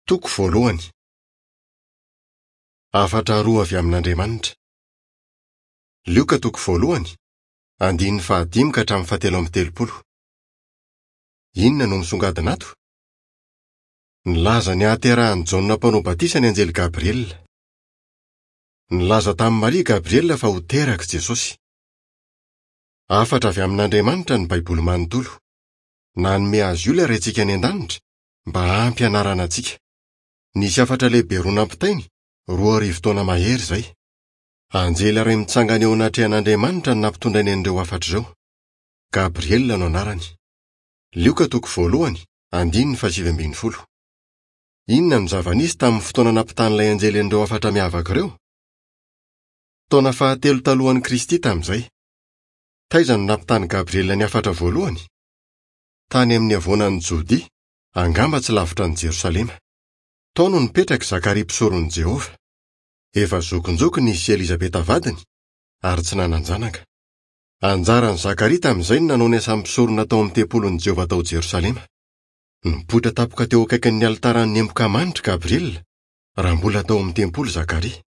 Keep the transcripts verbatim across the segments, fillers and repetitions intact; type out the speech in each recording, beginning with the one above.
Toko voalohany. Hafatra roa avy amin'Andriamanitra. Lioka toko voalohany, andininy fahadimy ka hatramin'ny fahatelo amby telopolo. Inona no misongadina ato? Nilaza ny hahaterahan'i Jaona Mpanao Batisa ny anjely Gabriela. Nilaza tamin'i Maria Gabriela fa ho teraka Jesosy. Hafatra avy amin'Andriamanitra ny Baiboly manontolo. Nanome azy io ilay Raintsika any an-danitra mba hampianarana antsika. Nisy hafatra lehibe roa nampitainy, roa arivo taona mahery izay. Anjely iray mitsangana eo anatrehan'Andriamanitra no nampitondrainy an'ireo hafatra ireo. Gabriela no anarany. Lioka toko voalohany, andininy fahasivy ambin'ny folo. Inona no zava-nisy tamin'ny fotoana nampitan'ilay anjely an'ireo hafatra miavaka ireo? Taona fahatelo talohan'i Kristy tamin'izay. Taiza no nampitan'i Gabriela ny hafatra voalohany? Tany amin'ny havoanan'i Jodia, angamba tsy lavitra an'i Jerosalema. Tao no nipetraka i Zakaria mpisoron'i Jehovah. Efa zokinjokiny izy sy Elizabeta vadiny, ary tsy nanan-janaka. Anjaran'i Zakaria tamin'izay no nanao ny asan'ny mpisorona tao amin'ny tempolin'i Jehovah tao Jerosalema. Nipoitra tampoka teo akaikin'ny alitaran'ny emboka manitra Gabriela, raha mbola tao amin'ny tempoly Zakaria.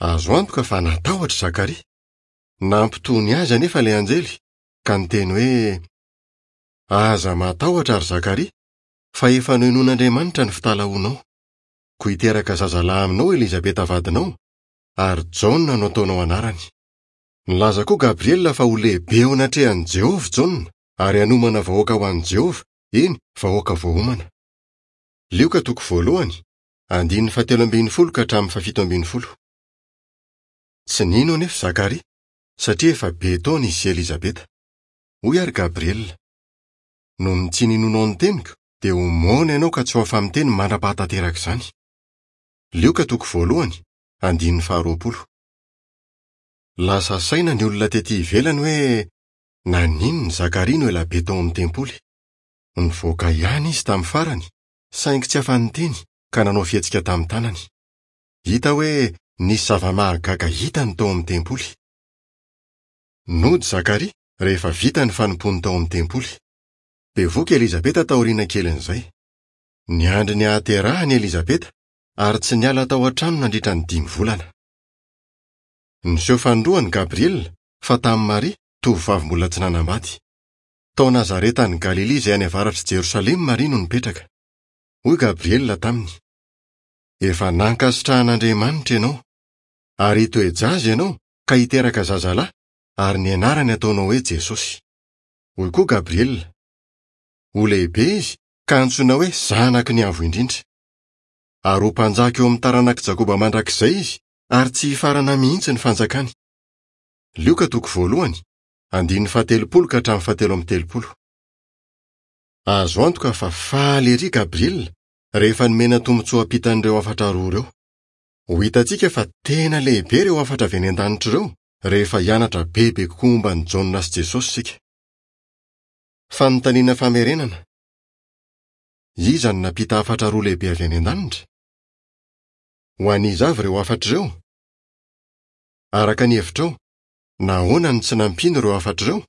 Azo antoka fa natahotra Zakaria. Nampitony azy anefa ilay anjely, ka niteny hoe: "Aza matahotra ry Zakaria, fa efa nohenoin'Andriamanitra ny fitalahoanao. Koa hiteraka zazalahy aminao Elizabeta vadinao, ary Jaona no ataonao anarany." Nilaza koa Gabriela fa ho lehibe eo anatrehan'i Jehovah Jaona, ary hanomana vahoaka ho an'i Jehovah, eny, vahoaka voaomana. Lioka toko voalohany, andininy fahatelo ambin'ny folo ka hatramin'ny fahafito ambin'ny folo. Tsy nino anefa Zakaria, satria efa be taona izy sy Elizabeta. Hoy ary Gabriela: "Noho ny tsy ninoanao ny teniko, dia ho moana ianao ka tsy ho afa-miteny mandra-pahatanteraka izany." Lioka toko voalohany, andininy faharoapolo. Lasa saina ny olona tetỳ ivelany hoe naninona Zakaria no ela be tao amin'ny tempoly. Nivoaka ihany izy tamin'ny farany, saingy tsy afa-niteny ka nanao fihetsika tamin'ny tanany. Hita hoe nisy zava-mahagaga hitany tao amin'ny tempoly. Nody Zakaria rehefa vita ny fanompoany tao amin'ny tempoly. Bevoka Elizabeta taoriana kelin'izay. Niandry ny hahaterahany Elizabeta ary tsy niala tao an-trano nandritra ny dimy volana. Niseho fanindroany Gabriela fa tamin'i Maria, tovovavy mbola tsy nanambady. Tao Nazareta any Galilia izay any avaratr'i Jerosalema Maria no nipetraka. Hoy Gabriela taminy: "Efa nankasitrahan'Andriamanitra ianao, ary hitoe-jaza ianao ka hiteraka zazalahy, ary ny anarany ataonao hoe Jesosy." Hoy koa Gabriela: "Ho lehibe izy ka hantsoina hoe Zanaky ny Avo Indrindra. Ary ho mpanjaka eo amin'ny taranak'i Jakoba mandrakizay izy, ary tsy hifarana mihitsy ny fanjakany." Lioka toko voalohany, andininy fahatelopolo ka hatramin'ny fahatelo amby telopolo. Azo antoka fa faly ery Gabriela rehefa nomena tombontsoa hampitan'ireo hafatra roa ireo. Ho hitantsika fa tena lehibe ireo hafatra avy any an-danitra ireo rehefa hianatra bebe kokoa momba an'i Jaona sy Jesosy isika. Fanontaniana famerenana. Iza no nampita hafatra roa lehibe avy any an-danitra? Ho an'iza avy ireo hafatra ireo? Araka ny hevitrao, nahoana no tsy nampiana ireo hafatra ireo?